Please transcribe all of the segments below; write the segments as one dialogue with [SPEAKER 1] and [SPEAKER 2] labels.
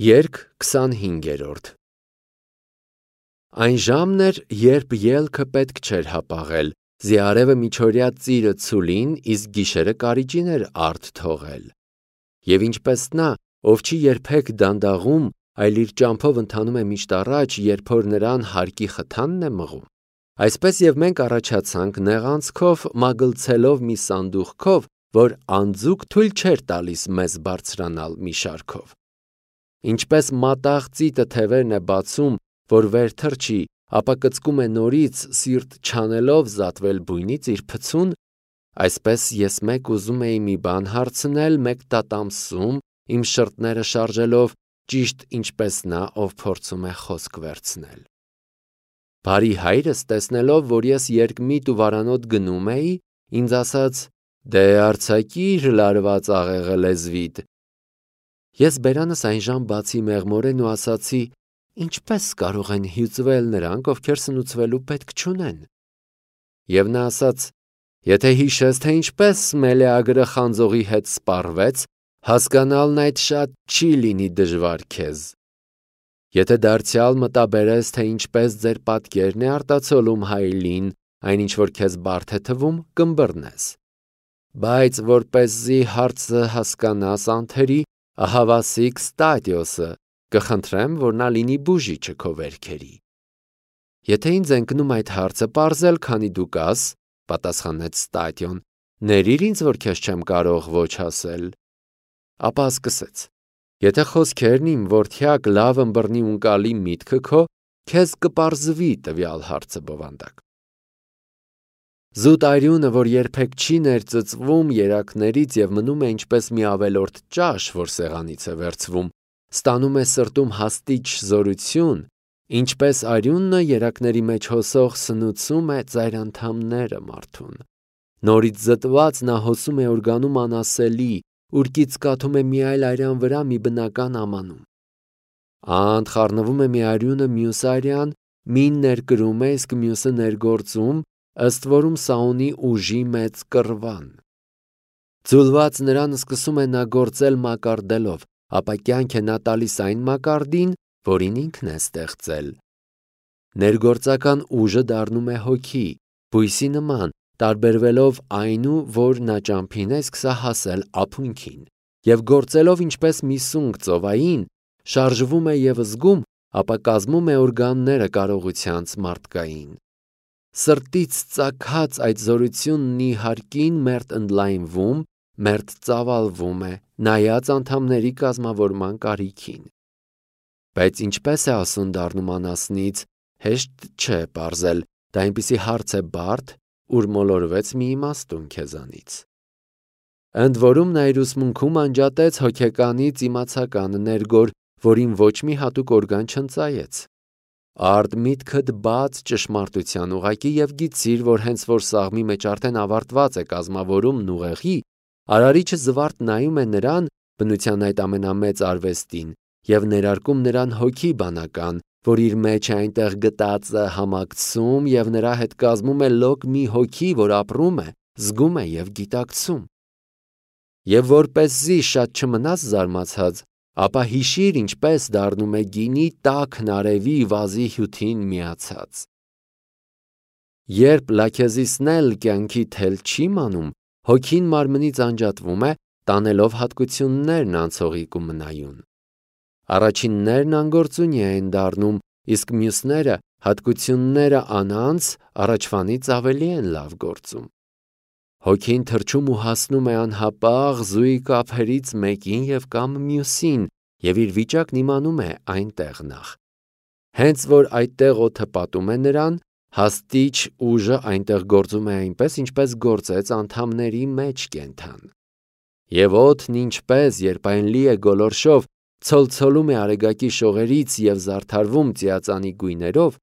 [SPEAKER 1] Երգ 25-րդ Այն ժամն էր, երբ ելքը պետք չէր հապաղել, զիարևը միջօրյա ծիրը ցուլին, իսկ գիշերը կարիճին էր արդ թողել։ Եվ ինչպես նա, ով չի երբեք դանդաղում, այլ իր ճամփով ընթանում է միշտ առաջ, երբ որ նրան հարկի խթանն է մղում, այսպես եւ մենք առաջացանք նեղանցքով մագլցելով մի սանդուղքով, որ անձուկ թույլ չէր տալիս մեզ բարձրանալ մի շարքով։ Ինչպես մատաղ ծիտը թևերն է բացում, որ վեր թռչի, ապա կծկում է նորից, սիրտ չանելով զատվել բույնից իր փցուն, այսպես ես մեկ ուզում էի մի բան հարցնել, մեկ տատամսում, իմ շրթները շարժելով, ճիշտ ինչպես նա, ով փորձում է խոսք վերցնել։ Բարի հայրս, տեսնելով, որ ես երկմիտ ու վարանոտ գնում էի, ինձ ասաց. «Դե արձակիր լարված աղեղը լեզվիդ»։ Ես բերանս այնժամ բացի մեղմորեն ու ասացի. «Ինչպես կարող են հյուծվել նրանք, ովքեր սնուցվելու պետք չունեն»։ Եվ նա ասաց. «Եթե հիշես, թե ինչպես Մելեագրը խանձողի հետ սպառվեց, հասկանալն այդ շատ չի լինի դժվար քեզ։ Եթե դարձյալ մտաբերես, թե ինչպես ձեր պատկերն է արտացոլում հայելին, այն ինչ որ քեզ բարդ է թվում, կըմբռնես։ Բայց որպեսզի հարցը հասկանաս անթերի, ահավասիկ Ստատիոսը, կխնդրեմ, որ նա լինի բուժիչը քո վերքերի։ Եթե ինձ ընկնում այդ հարցը պարզել, քանի դու կաս, պատասխանեց Ստատիոն, ներիր ինձ, որ քեզ չեմ կարող ոչ ասել։ Ապա սկսեց. Եթե խոսքերն իմ որդյակ լավ ըմբռնի ունկալի միտքը քո, քեզ կպարզվի տվյալ հարցը բովանդակ։ Զուտ արյունը, որ երբեք չի ներծծվում երակներից եւ մնում է ինչպես մի ավելորդ ճաշ, որ սեղանից է վերցվում, ստանում է սրտում հաստիճ զորություն, ինչպես արյունը երակների մեջ հոսող սնուցում է ծայր անդամները մարդուն։ Նորից զտված նա հոսում է օրգանում անասելի, ուրկից կաթում է մի այլ արյան վրա մի բնական ամանում։ Անդ խառնվում է մի արյունը մյուս արյան, մին ներկրում է, իսկ մյուսը ներգործում, ըստ որում սա ունի ուժի մեծ կռվան։ Ձուլված նրան սկսում է նա գործել մակարդելով, ապա կյանք է նա տալիս այն մակարդին, որին ինքն է ստեղծել։ Ներգործական ուժը դառնում է հոգի, բույսի նման, տարբերվելով այնու, որ նա ճամփին է սկսա հասել ափունքին, եւ գործելով ինչպես մի սունկ ծովային, շարժվում է եւ զգում, ապա կազմում է օրգանները կարողությանց մարդկային։ Սրտից ծագած այդ զորությունն ի հարկին մերթ ընդլայնվում, մերթ ծավալվում է, նայած անդամների կազմավորման կարիքին։ Բայց ինչպես է ասուն դառնում անասնից, հեշտ չէ պարզել, դա այնպիսի հարց է բարդ, ուր մոլորվեց մի իմաստուն քեզանից։ Ընդ որում նա իր ուսմունքում անջատեց հոգեկանից իմացականը ներգոր, որին ոչ մի հատուկ օրգան չընծայեց։ Արդ միտքդ բաց ճշմարտության ուղակի եւ գիտիր, որ հենց որ սաղմի մեջ արդեն ավարտված է կազմավորումն ուղեղի, արարիչը զվարթ նայում է նրան, բնության այդ ամենամեծ արվեստին, եւ ներարկում նրան հոգի բանական, որ իր մեջ է այնտեղ գտածը համակցում եւ նրա հետ կազմում է լոկ մի հոգի, որ ապրում է, զգում է եւ գիտակցում։ Եվ որպեսզի շատ չմնաս զարմացած, ապա հիշիր ինչպես դառնում է գինի տաքն արևի վազի հյութին միացած։ Երբ լաքեզիսն էլ կյանքի թել չի մանում, հոգին մարմնից անջատվում է, տանելով հատկություններն անցողիկ ու մնայուն։ Առաջիններն անգործունի են դառնում, իսկ մյուսները հատկությունները անանց առաջվանից ավելի են լավ գործում։ Հոգին թռչում ու հասնում է անհապաղ զույգ ափերից մեկին եւ կամ մյուսին, եւ իր վիճակն իմանում է այնտեղ նախ։ Հենց որ այդտեղ օդը պատում է նրան, հաստիճ ուժը այնտեղ գործում է այնպես, ինչպես գործեց անդամների մեջ կենթան։ Եվ օդն ինչպես, երբ այն լի է գոլորշով, ցոլցոլում է արեգակի շողերից եւ զարդարվում ծիածանի գույներով,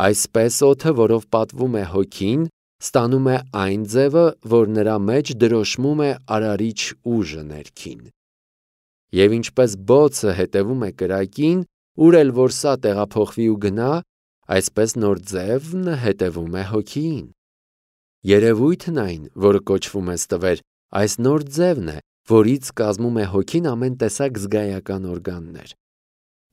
[SPEAKER 1] այսպես օդը, որով պատվում է հոգին, ստանում է այն ձևը, որ նրա մեջ դրոշմում է արարիչ ուժը ներքին։ Եվ ինչպես բոցը հետևում է կրակին, ուր էլ որ սա տեղափոխվի ու գնա, այսպես նոր ձևն հետևում է հոգիին։ Երևույթն այն, որը կոչվում է ստվեր, այս նոր ձևն է, որից կազմում է հոգին ամեն տեսակ զգայական օրգաններ,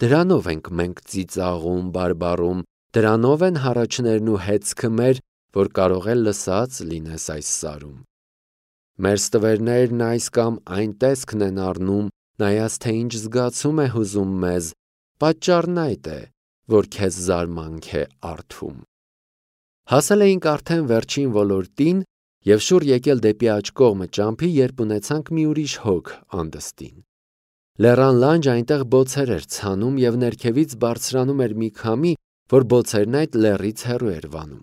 [SPEAKER 1] դրանով ենք մենք ծիծաղում, բարբառում, դրանով են հառաչներն ու հեծքը մեր, որ կարող է լսած լինես այս սարում։ Մեր ստվերներն այս կամ այն տեսքն են առնում, նայած թե ինչ զգացում է հուզում մեզ, պատճառն այդ է, որ քեզ զարմանք է առթում։ Հասել էինք արդեն վերջին ոլորտին և շուռ եկել դեպի աջ կողմը ճամփի, երբ ունեցանք մի ուրիշ հոգ անդստին։ Լեռան լանջ այնտեղ բոցեր էր ցանում և ներքևից բարձրանում էր մի քամի, որ բոցերն այդ լեռից հեռու էր վանում։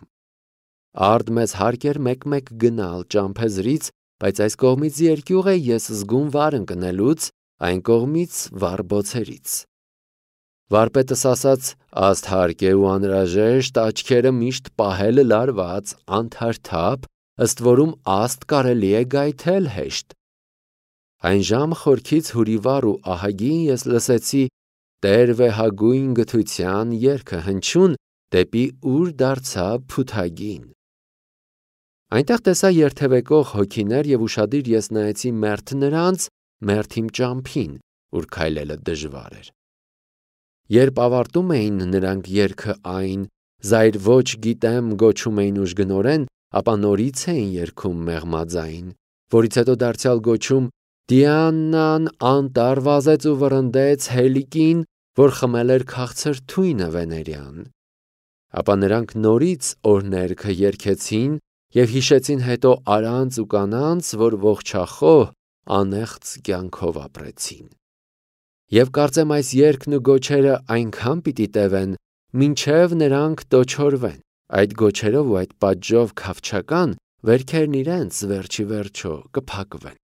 [SPEAKER 1] Արդ մեզ հարկ էր մեկ-մեկ գնալ ճամփեզրից, բայց այս կողմից երկյուղ է ես զգում վար ընկնելուց, այն կողմից վառ բոցերից։ Վարպետս ասաց, աստ հարկ է ու անհրաժեշտ աչքերը միշտ պահել լարված, անթարթափ, ըստ որում աստ կարելի է գայթել հեշտ։ Այն ժամ խորքից հուրիվառ ու ահագին ես լսեցի Տեր վեհագույն գթության երգը հնչյուն դեպի ուր դարձավ փութագին։ Այնտեղ տեսա երթևեկող հոգիներ և ուշադիր ես նայեցի մերթ նրանց, մերթ իմ ճամփին, ուր քայլելը դժվար էր։ Երբ ավարտում էին նրանք երգը այն «Զայր ոչ գիտեմ» գոչում էին ուժգնորեն, ապա նորից էին երգում մեղմաձայն, որից հետո դարձյալ գոչում Դիանան անտառ վազեց ու վռնդեց Հելիկին, որ խմել էր քաղցր թույնը վեներյան։ Ապա նրանք նորից օրհներգը երգեցին և հիշեցին հետո արանց ու կանանց, որ ողջախոհ, անեղծ կյանքով ապրեցին։ Եվ կարծեմ այս երգն ու գոչերը այնքան պիտի տևեն, մինչև նրանք տոչորվեն, այդ գոչերով ու այդ պատժով քավչական, վերքերն իրենց վերջի վերջո կփակվեն։